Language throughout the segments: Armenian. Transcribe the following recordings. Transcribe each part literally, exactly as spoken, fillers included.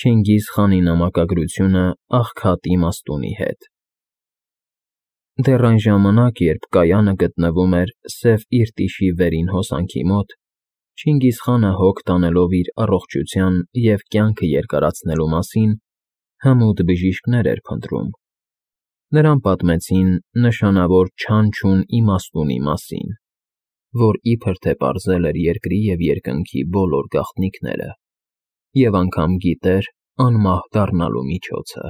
Չինգիզ խանի նամակագրությունը աղքատ իմաստունի հետ։ Դեռ այն ժամանակ, երբ կայանը գտնվում էր Սև Իրտիշի վերին հոսանքի մոտ, Չինգիզ խանը հոգ տանելով իր առողջության և կյանքը երկարացնելու մասին, հմուտ բժիշկներ էր փնտրում։ Նրան պատմեցին նշանավոր չանչուն իմաստունի մասին, որ իբր թե պարզել էր երկրի և երկնքի բոլոր գաղտնիքները և անգամ գիտեր անմահ դառնալու միջոցը։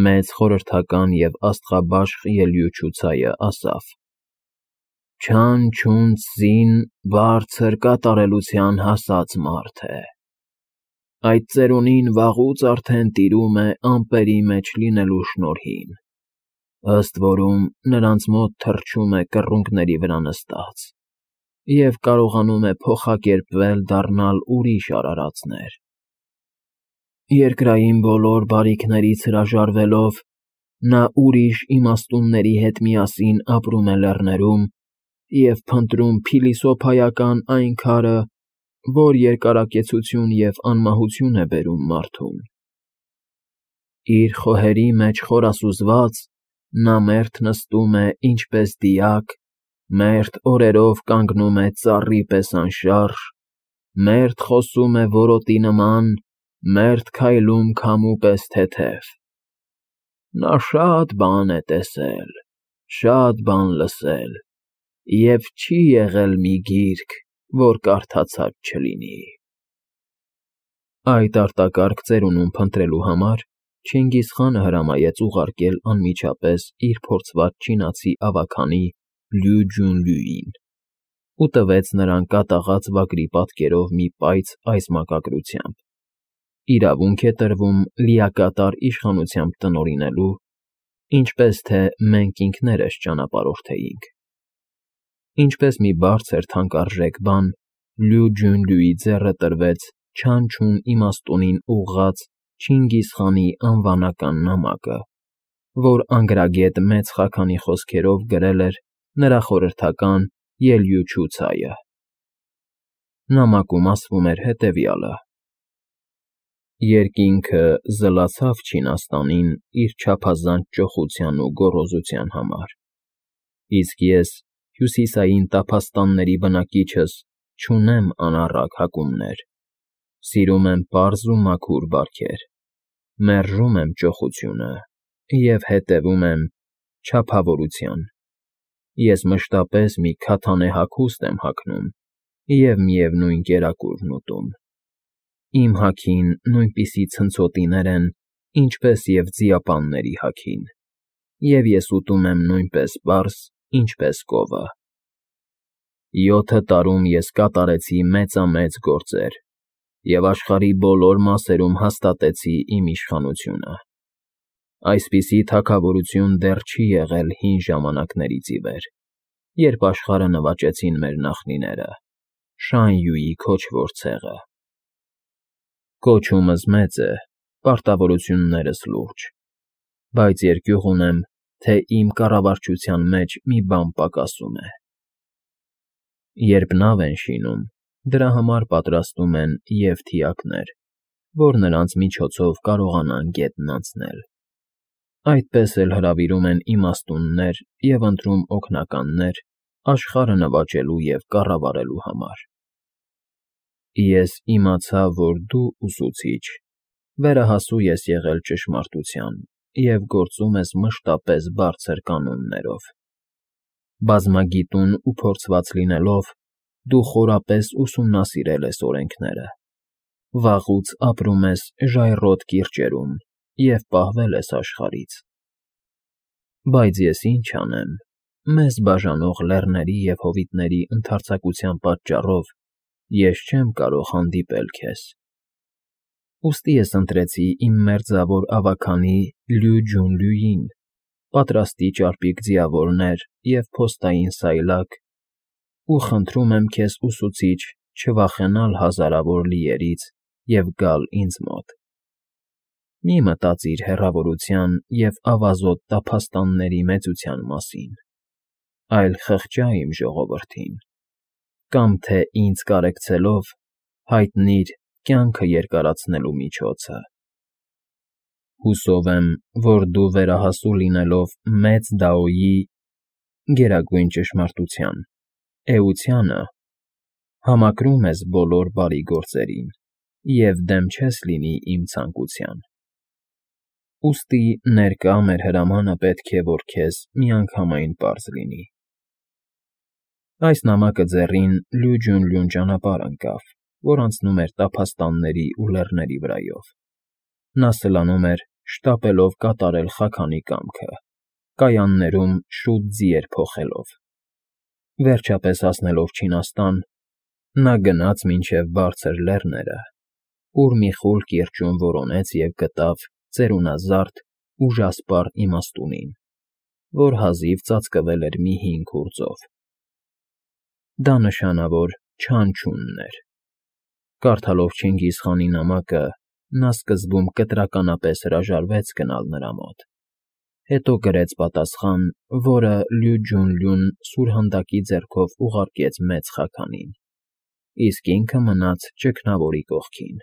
Մեծ խորհրդական և աստղաբաշխ ելյուչուցայը ասավ. «Չանչուն սին բարձր կատարելության հասած մարդ է։ Այդ ծերունին վաղուց արդեն տիրում է ամպերի մեջ լինելու շնորհին, ըստ որում նրանց մոտ թռչում է կռունկների վրա նստած և կարողանում է փոխակերպվել դառնալ ուրիշ արարածներ։ Երկրային բոլոր բարիքներից հրաժարվելով՝ նա ուրիշ իմաստունների հետ միասին ապրում է լեռներում և փնտրում փիլիսոփայական այն քարը, որ երկարակեցություն և անմահություն է բերում մարդուն։ Իր խոհերի մեջ խորասուզված՝ նա մերթ նստում է ինչպես դիակ, մերթ օրերով կանգնում է ծառի պես անշարժ, մերթ խոսում է որոտի նման, մերթ քայլում քամու պես թեթև։ Նա շատ բան է տեսել, շատ բան լսել և չի եղել մի գիրք, որ կարդացած չլինի»։ Այդ արտակարգ ծերունուն փնտրելու համար Չինգիզ խանը հրամայեց ուղարկել անմիջապես իր փորձված չինացի ավագանի Լյու Ջունլյուին ու տվեց նրան կատաղած վագրի պատկերով մի պայծ այս մակագրությամբ. «Իրավունք է տրվում լիակատար իշխանությամբ տնօրինելու, ինչպես թե մենք ինքներս ճանապարհորդեինք»։ Ինչպես մի բարձր թանկարժեք բան, Լյու Ջունլյուի ձեռը տրվեց չանչուն իմաստունին ուղղած Չինգիզ խանի անվանական նամակը, որ անգրագետ Մեծ Խաքանի խոսքերով գրել էր նրա խորհրդական ելյուչուցայը։ Նամակում ասվում էր հետևյալը. «Երկինքը զլացավ Չինաստանին իր չափազանց ճոխության ու գոռոզության համար, իսկ ես, հյուսիսային տափաստանների բնակիչս, չունեմ անառակ հակումներ, սիրում եմ պարզ ու մաքուր բարքեր, մերժում եմ ճոխությունը և հետևում եմ չափավորության։ Ես մշտապես մի քաթանե հագուստ եմ հագնում և միևնույն կերակուրն ուտում։ Իմ հագին նույնպիսի ցնցոտիներ են, ինչպես և ձիապանների հագին, և ես ուտում եմ նույնպես պարզ, ինչպես կովը։ Յոթը տարում ես կատարեցի մեծամեծ գործեր և աշխարհի բոլոր մասերում հաստատեցի իմ իշխանությունը։ Այսպիսի թագավորություն դեռ չի եղել հին ժամանակներից ի վեր, երբ աշխարհը նվաճեցին մեր նախնիները, Շան Յուի քոչվոր ցեղը։ Կոչումս մեծ է, պարտավորություններս լուրջ, բայց երկյուղ ունեմ, թե իմ կառավարչության մեջ մի բան պակասում է։ Երբ նավ են շինում, դրա համար պատրաստում են և թիակներ, որ նրանց միջոցով կարողանան գետն անցնել։ Այդպես էլ հրավիրում են իմաստուններ և ընտրում օգնականներ աշխարհը նվաճելու և կառավարելու համար։ Ես իմացա, որ դու, ուսուցիչ, վերահասու ես եղել ճշմարտության և գործում ես մշտապես բարձր կանոններով։ Բազմագիտուն ու փորձված լինելով, դու խորապես ուսումնասիրել ես օրենքները, վաղուց ապրում ես ժայռոտ կիրճերում և պահվել ես աշխարհից։ Բայց ես ինչ անեմ, մեզ բաժանող լեռների և հովիտների ընդարձակության պատճառով ես չեմ կարող հանդիպել քեզ։ Ուստի ես ընտրեցի իմ մերձավոր ավագանի Լյու Ջունլյուին, պատրաստի ճարպիկ ձիավորներ և փոստային սայլակ, ու խնդրում եմ քեզ, ուսուցիչ, չվախենալ հազարավոր լիերից և գալ ինձ մոտ։ Մի մտածիր հեռավորության և ավազոտ տափաստանների մեծության մասին, այլ խղճա իմ ժողովրդին, կամ թե ինձ կարեկցելով հայտնիր կյանքը երկարացնելու միջոցը։ Հուսով եմ, որ դու վերահասու լինելով մեծ Դաոյի գերագույն ճշմարտության, էությանը, համակրում ես բոլոր բարի գործերին և դեմ չես լինի իմ ցանկության։ Ուստի ներկա մեր հրամանը պետք է, որ քեզ միանգամայն պարզ լինի։ Այս նամակը ձեռին լյուջյուն-լյուն ճանապարհ ընկավ, որ անցնում էր տափաստանների ու լեռների վրայով։ Նա սլանում էր, շտապելով կատարել Խաքանի կամքը, կայաններում շուտ ձիեր փոխելով։ Վերջապես հասնելով Չինաստան, նա գնաց մինչև բարձր լեռները, ուր մի խուլ կիրճում որոնեց և գտավ ծերունազարդ, ուժասպառ իմաստունին, որ հազիվ ծածկվել էր մի հին քուրձով։ Դա նշանավոր Չանչունն էր։ Կարդալով Չինգիզ խանի նամակը, նա սկզբում կտրականապես հրաժարվեց գնալ նրա մոտ, հետո գրեց պատասխան, որը լյուջյուն֊լյուն սուրհանդակի ձեռքով ուղարկեց մեծ Խաքանին, իսկ ինքը մնաց ճգնավորի կողքին,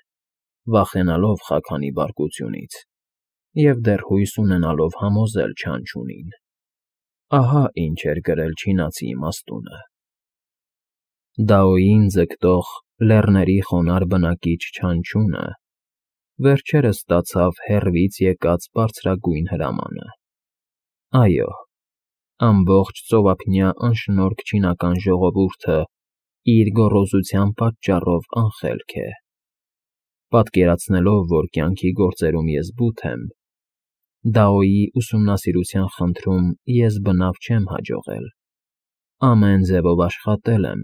վախենալով Խաքանի բարկությունից և դեռ հույս ունենալով համոզել Չանչունին։ Ահա ինչ էր գրել չինացի իմաստունը. «Դաոյին ձգտող լեռների խոնարհ բնակիչ Չանչունը վերջերս ստացավ հեռվից եկած բարձրագույն հրամանը։ Այո, ամբողջ ծովափնյա անշնորհք չինական ժողովուրդը իր գոռոզության պատճառով անխելք է։ Պատկերացնելով, որ կյանքի գործերում ես բութ եմ, Դաոյի ուսումնասիրության խնդրում ես բնավ չեմ հաջողել։ Ամեն ձևով աշխատել եմ,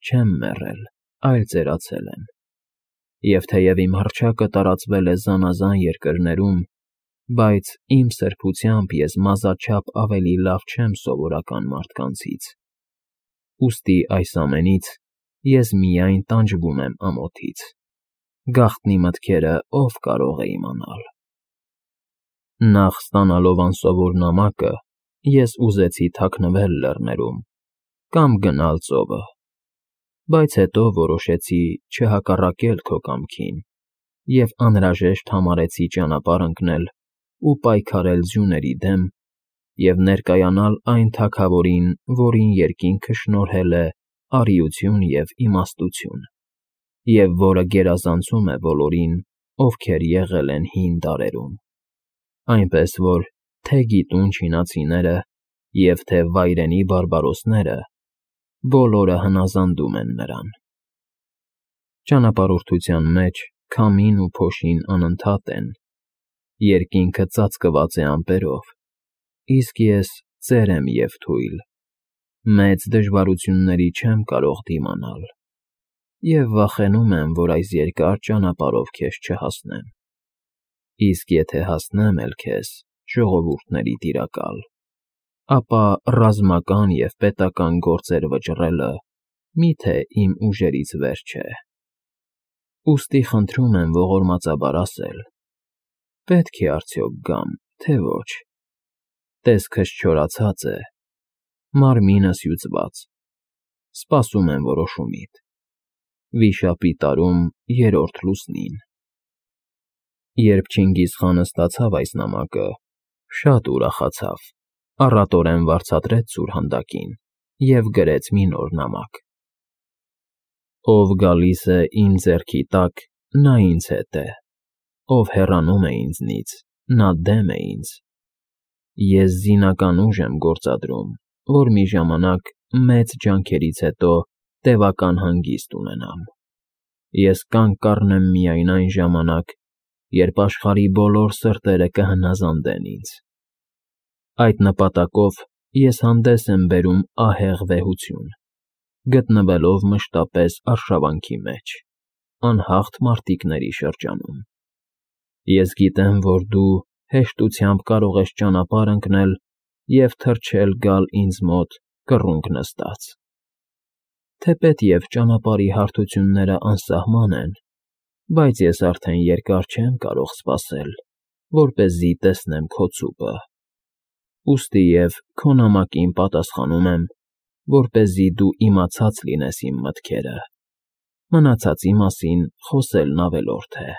չեմ մեռել, այլ ծերացել եմ։ Եվ թեև իմ հռչակը տարածվել է զանազան երկրներում, բայց իմ սրբությամբ ես մազաչափ ավելի լավ չեմ սովորական մարդկանցից։ Ուստի այս ամենից ես միայն տանջվում եմ ամոթից։ Գաղտնի մտքերը ով կարող է իմանալ։ Նախ ստանալով անսովոր նամակը, ես ուզեցի թաքնվել լեռներում կամ գնալ ծովը, բայց հետո որոշեցի չհակառակել քո կամքին և անհրաժեշտ համարեցի ճանապարհ ընկնել ու պայքարել ձյուների դեմ և ներկայանալ այն թագավորին, որին երկինքը շնորհել է արիություն և իմաստություն, և որը գերազանցում է բոլորին, ովքեր եղել են հին դարերում, այնպես որ թե՛ գիտուն չինացիները և թե՛ վայրենի բարբարոսները բոլորը հնազանդում են նրան։ Ճանապարհորդության մեջ քամին ու փոշին անընդհատ են, երկինքը ծածկված է ամպերով, իսկ ես ծեր եմ և թույլ, մեծ դժվարությունների չեմ կարող դիմանալ և վախենում եմ, որ այս երկար ճանապարհով քեզ չհասնեմ, իսկ եթե հասնեմ էլ քեզ, ժողովուրդների տիրակալ, ապա ռազմական և պետական գործեր վճռելը մի՞թե իմ ուժերից վեր չէ։ Ուստի խնդրում եմ ողորմածաբար ասել. պետք է արդյոք գամ, թե ոչ։ Տեսքս չորացած է, մարմինս հյուծված, սպասում եմ որոշումիդ։ Վիշապի տարում երրորդ լուսնին։ Երբ Չինգիզ խանը ստացավ այս նամակը, շատ ուրախացավ, առատորեն վարձատրեց սուրհանդակին և գրեց մի նոր նամակ։ Ով գալիս է իմ ձեռքի տակ, նա ինձ հետ է, ով հեռանում է ինձնից, նա դեմ է ինձ։ Ես զինական ուժ եմ գործադրում, որ մի ժամանակ մեծ ջանքերից հետո տևական հանգիստ ունենամ։ Ես կանգ կառնեմ միայն այն ժամանակ, երբ աշխարհի բոլոր սրտերը կհնազանդեն ինձ։ Այդ նպատակով ես հանդես եմ բերում ահեղ վեհություն, գտնվելով մշտապես արշավանքի մեջ, անհաղթ մարտիկների շրջանում։ Ես գիտեմ, որ դու հեշտությամբ կարող ես ճանապարհ ընկնել և թռչել գալ ինձ մոտ կռունկ նստած։ Թեպետև ճանապարհի հարթությունները անսահման են, բայց ես արդեն երկար չեմ կարող սպասել, որպեսզի տեսնեմ քո ցուպը։ Ուստի և քո նամակին պատասխանում եմ, որպեսզի դու իմացած լինես իմ մտքերը։ Մնացածի մասին խոսելն ավելորդ է։